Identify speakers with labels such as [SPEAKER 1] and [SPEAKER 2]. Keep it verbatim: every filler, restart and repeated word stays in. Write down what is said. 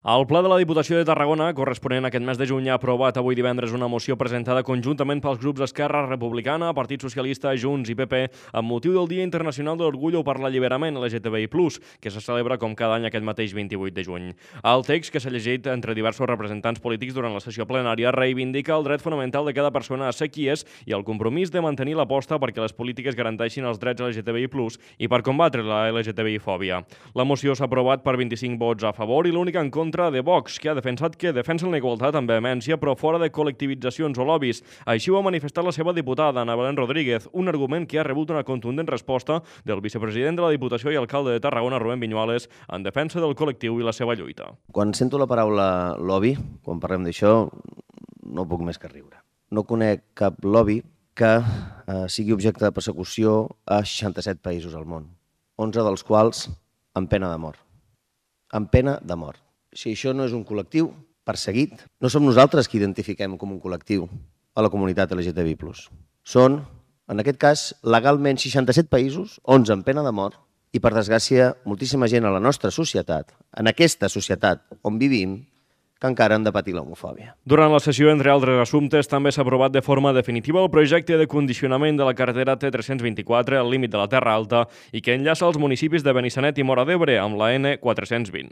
[SPEAKER 1] El Ple de la Diputació de Tarragona, corresponent a aquest mes de juny, ha aprovat avui divendres una moció presentada conjuntament pels grups Esquerra Republicana, Partit Socialista, Junts i P P amb motiu del Dia Internacional de l'Orgullo per l'Alliberament L G T B I plus, que se celebra com cada any aquest mateix vint-i-vuit de juny. El text, que s'ha llegit entre diversos representants polítics durant la sessió plenària, reivindica el dret fonamental de cada persona a ser qui és i el compromís de mantenir l'aposta perquè les polítiques garanteixin els drets L G T B I plus i per combatre la L G T B I-fòbia. La moció s'ha aprovat per vint-i-cinc vots a favor i l'únic en contra de Vox, que ha defensat que defensen la igualtat amb vehemència però fora de col·lectivitzacions o lobbies. Així ho ha manifestat la seva diputada, Ana Belén Rodríguez, un argument que ha rebut una contundent resposta del vicepresident de la Diputació i alcalde de Tarragona, Rubén Viñuales, en defensa del col·lectiu i la seva lluita.
[SPEAKER 2] Quan sento la paraula lobby, quan parlem d'això, no puc més que riure. No conec cap lobby que eh, sigui objecte de persecució a seixanta-set països al món, onze dels quals amb pena de mort. Amb pena de mort. Si això no és un col·lectiu perseguit, no som nosaltres qui identifiquem com un col·lectiu a la comunitat L G T B I plus. Són, en aquest cas, legalment seixanta-set països, onze amb pena de mort, i per desgràcia, moltíssima gent a la nostra societat, en aquesta societat on vivim, que encara han de patir l'homofòbia.
[SPEAKER 1] Durant la sessió, entre altres assumptes, també s'ha aprovat de forma definitiva el projecte de condicionament de la carretera T tres-cents vint-i-quatre al límit de la Terra Alta i que enllaça els municipis de Benissanet i Móra d'Ebre amb la N quatre-cents vint.